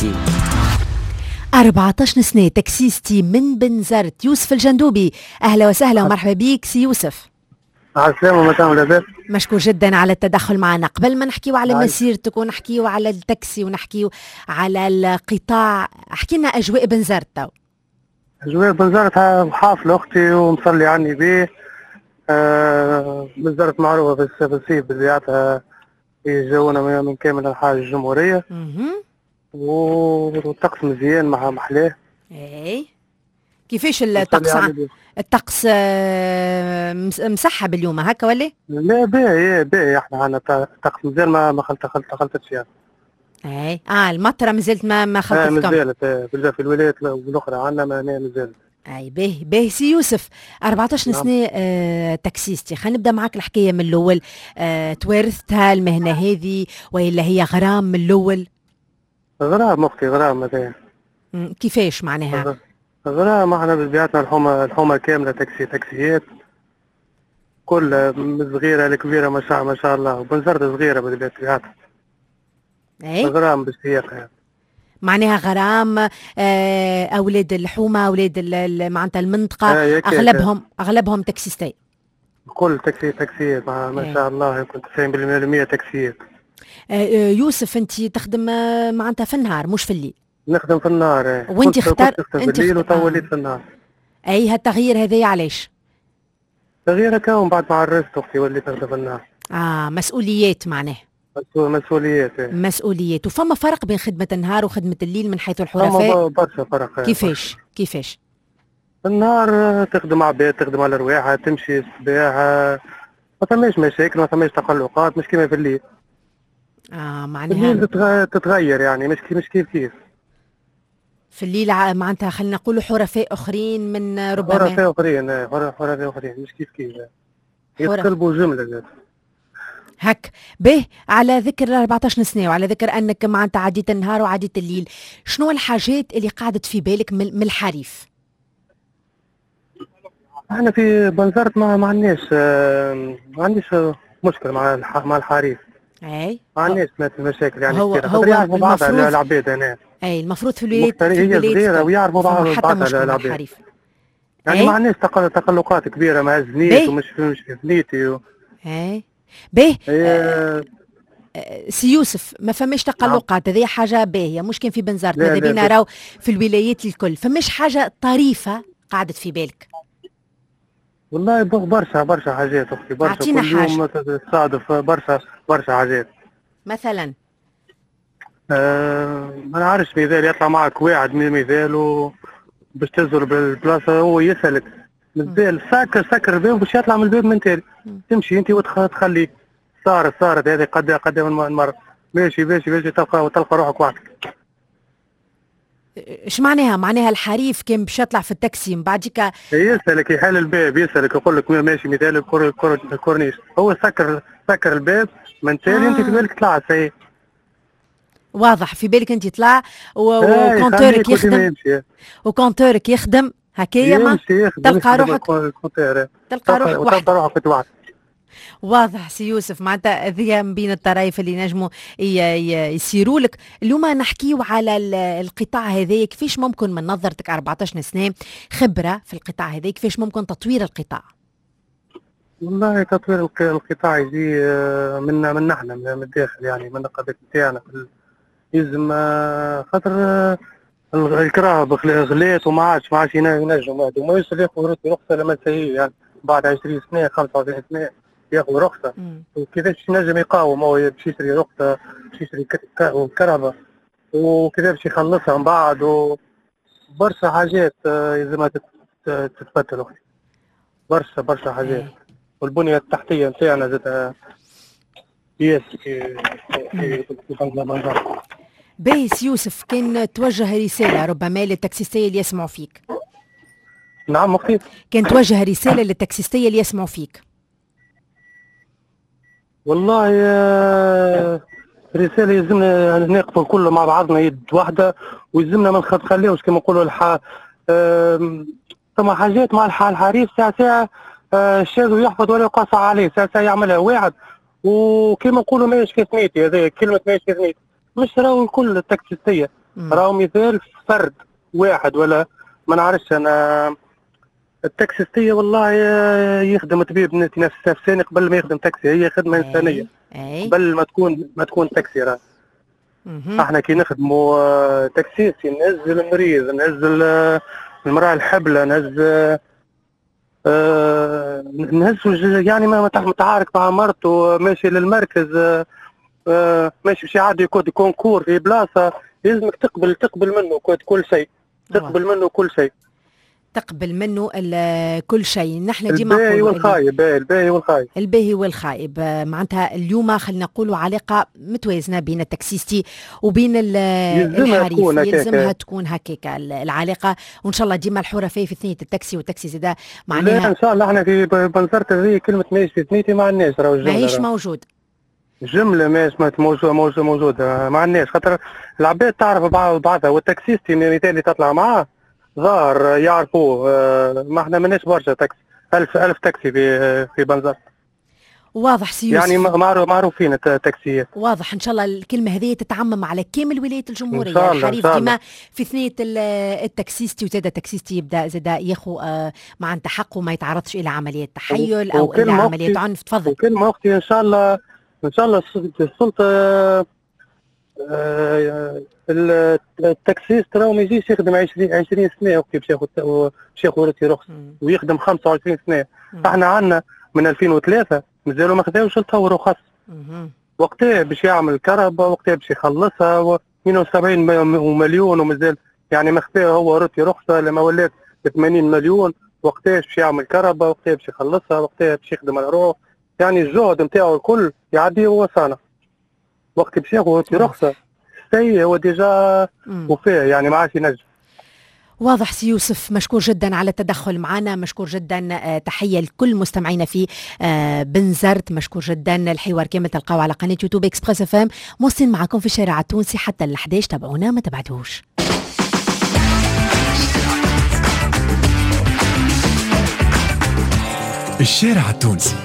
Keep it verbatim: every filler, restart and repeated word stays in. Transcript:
تاكسي. أربعة عشر سنة taxiste من بنزرت، يوسف الجندوبي، أهلا وسهلا ومرحبا بك سي يوسف. على السلامة مدام، لاباس؟ مشكور جدا على التدخل معنا. قبل ما نحكيو على مسيرتك ونحكيو على التاكسي ونحكيو على القطاع، احكي لنا أجواء بنزرت تو. أجواء بنزرت حافلة أختي ومصلي على النبي. آه بنزرت معروفة في الصيف بزيارتها، يجونا من كامل أنحاء الجمهورية والطقس مزيان مع محلاه. اي، كيفاش الطقس؟ الطقس آه، مسحب اليوم هكا ولا؟ لا، باهي باهي، احنا عندنا طقس مزيان، ما ما خلت خلت خلطتش يعني. اي اه المطره مازالت ما ما خلطتكم؟ آه مازالت، آه، في الولايات الاخرى عندنا ما مازالت. اي باهي باهي. سي يوسف، أربعة عشر نعم. سنة آه taxiste، خلينا نبدا معك الحكاية من الاول. آه توارثتها المهنة هذه والا هي غرام من الاول؟ غرام اختي، غرام هذا. كيفاش معناها؟ غرام، احنا بطبيعتنا الحومه الحومه كاملة تاكسي، تاكسيات كل من صغيرة لكبيره، ما شاء ما شاء الله، وبنزرت صغيرة بطبيعتها. اي غرام بالسياقه يعني. معناها غرام، آه، اولاد الحومه، اولاد معناتها المنطقه، آه اغلبهم اغلبهم taxistes. كل تاكسي تاكسيات ما, ما شاء الله، يمكن تسعين بالمية تاكسيات. آه، آه، يوسف، انت تخدم معناتها في النهار مش في الليل؟ نخدم في النهار. إيه. وانت اختار انت في الليل وتو وليت في النهار. اي، هالتغيير هذا علاش؟ تغيير هكا بعد ما عرست اختي، وليت نخدم في النهار. اه مسؤوليات معناه. مسؤوليات. إيه. مسؤوليات. وفما فرق بين خدمة النهار وخدمة الليل من حيث الحرفاء؟ برشا فرق. كيفاش كيفاش؟ النهار تخدم عباد، تخدم على رواحها، تمشي الصباح، ما ثماش مشاكل، ما ثماش تقلقات، مش كيما في الليل. اه معناها الليل تتغير يعني، مش كيف مش كيف كيف. في الليل معناتها خلينا نقولوا حرفاء اخرين من ربما. حرفاء اخرين، حرفاء اخرين، مش كيف كيف، يتقلبوا جملة زاد. هك به. على ذكر أربعة عشر سنة وعلى ذكر انك معناتها عديت النهار وعديت الليل، شنو الحاجات اللي قعدت في بالك من الحريف؟ احنا في بنزرت ما ما عندناش ما عنديش مشكل مع مع الحريف. اي ما عندناش مشاكل يعني. هو هو يعرفوا بعض العباد هنا. اي، المفروض في الولايات. في الولايات صغيرة ويعرفوا بعض. حتى بعض العباد الحريف. يعني ما عندناش تقلقات كبيرة مع الزنيت ومش مش في ثنيتي و... اي باهي. آه سي يوسف، ما فماش تقلقات، هذه حاجة باهيه، مش كان في بنزرت، ماذا بينا راهو في الولايات الكل. فماش حاجة طريفه قعدت في بالك؟ والله برشا برشا حاجات اختي، برشا. أعطينا كل يوم تصادف برشا برشا حاجات. مثلا؟ آه ما نعرفش، مثال يطلع معك واحد من مثال و باش تزور بالبلاصه، هو يسالك مازال ساكر ساكر الباب باش يطلع من الباب من تالي، تمشي انت وتخليه. صارت صارت هذه قد قد من مرة، ماشي ماشي ماشي، تلقى وتلقى روحك وحدك. ايش معناها؟ معناها الحريف كان باش يطلع في التاكسي من بعديك؟ يسالك، يحل الباب، يسالك، يقول لك ماشي مثال الكورنيش، هو سكر سكر الباب من تالي. آه. انت في بالك طلعت سي. واضح، في بالك انت طلع و compteur ك يخدم و compteur ك يخدم هكايا، ما تلقى روحك تلقى روحك وحدك، تلقى روحك وحدك. واضح سي يوسف، معناتها هذه من بين الطرايف اللي نجموا يصيروا لك. اليوم نحكيو على القطاع هذا، كيفاش ممكن من نظرتك، أربعة عشر سنة خبره في القطاع هذا، كيفاش ممكن تطوير القطاع؟ والله تطوير القطاع يجي آه، من من نحن من الداخل، يعني من النقابات نتاعنا يلزم، آه، خاطر آه، الكراهب غلات وما عادش ما عادش ينجم واحد وما يوصل ياخذ رخصه لما يعني بعد عشرين سنه، خمسة وعشرين سنة ياخذ رخصه، وكيفاش ينجم يقاوم هو باش يشري رخصه، باش يشري كرهبه، وكيفاش باش يخلصها من بعد؟ وبرشا حاجات يلزمها تتبدل اختي، برشا برشا حاجات. والبنية التحتية نتاعنا زاد ياسر في في في باهي يوسف، كان توجه رسالة ربما للتاكسيستية اللي يسمعوا فيك. نعم أختي. كان توجه رسالة للتاكسيستية اللي يسمعوا فيك. والله آه، رسالة يلزمنا نقفوا الكل مع بعضنا يد واحدة، ويلزمنا ما نخليوش كما نقولوا الح... ثم حاجات مع الحريف ساعة ساعة، آه، الشاذ يحفظ ولا يقاس عليه، ساعة ساعة يعملها واحد وكما نقولوا ماهيش في ثنيتي. هذا كلمة ماهيش في ثنيتي مش راهو الكل التاكسيستية. راهو مثال فرد واحد ولا ما نعرفش انا. التاكسيستيه والله يخدم طبيب نفس نفساني قبل ما يخدم تاكسي، هي خدمة انسانيه قبل ما تكون ما تكون تاكسي. راه احنا كي نخدموا taxiste نهز المريض، نهز المراة الحبلة، نهز آه نهز يعني ما متعارك مع مرته، ماشي للمركز، آه ماشي باش يعدي code concours في بلاصة، لازمك تقبل تقبل منه كل شيء، تقبل منه كل شيء، تقبل منه كل شيء. نحن ديما الباهي والخايب، الباهي والخايب، الباهي والخايب. معناتها اليوم خلينا نقولوا علاقة متوازنة بين التاكسيستي وبين الحريف، يلزمها تكون هكاكا العلاقة، وان شاء الله ديما الحرفاء في ثنيه التاكسي والتاكسي زاده معناها. ان شاء الله احنا في بنزرت هذه كلمة ماهيش في ثنيتي ما عندناش، راهو الجملة ماهيش موجود، جملة ماهيش موجودة موجودة موجودة ما عندناش، خاطر العباد تعرف بعضها، والتاكسيستي مثال تطلع معاه ظاهر يعرفوه. ما احنا ماناش برشا تاكسي، ألف ألف تاكسي في في بنزرت. واضح سي يوسف، يعني معروفين التاكسيات. واضح، ان شاء الله الكلمة هذه تتعمم على كامل ولاية الجمهورية. الحريف ديما في ثنيه التاكسيستي، وزاد التاكسيستي يبدا زاد ياخو مع حقه، ما يتعرضش الى عملية تحيل او الى عملية عنف. تفضل. وكلمه اختي ان شاء الله، ان شاء الله السلطة ال taxiste راهو ما يجيش يخدم عشرين سنة وقت باش ياخذ باش ياخذ رخص ويخدم خمسة وعشرين سنة. احنا عندنا من ألفين وثلاثة مازالوا ما خذاوش التو رخص. وقتها باش يعمل كهرباء، وقتها باش يخلصها اثنين وسبعين مليون ومازال يعني ما خذاها هو روتي رخصه لما ولات ثمانين مليون. وقتها باش يعمل كهرباء، وقتها باش يخلصها، وقتها باش يخدم على روحه، يعني الجهد نتاعو الكل يعديه هو صانع. وقت باش ياخذ رخصه سي هو déjà وفاه، يعني ما عادش ينجم. واضح سي يوسف، مشكور جدا على التدخل معنا، مشكور جدا. تحية لكل مستمعينا في بنزرت، مشكور جدا. الحوار كامل تلقاو على قناة يوتيوب اكسبريس اف ام. موصلين معكم في الشارع التونسي حتى ال الحداش، تابعونا ما تبعدوش. الشارع التونسي.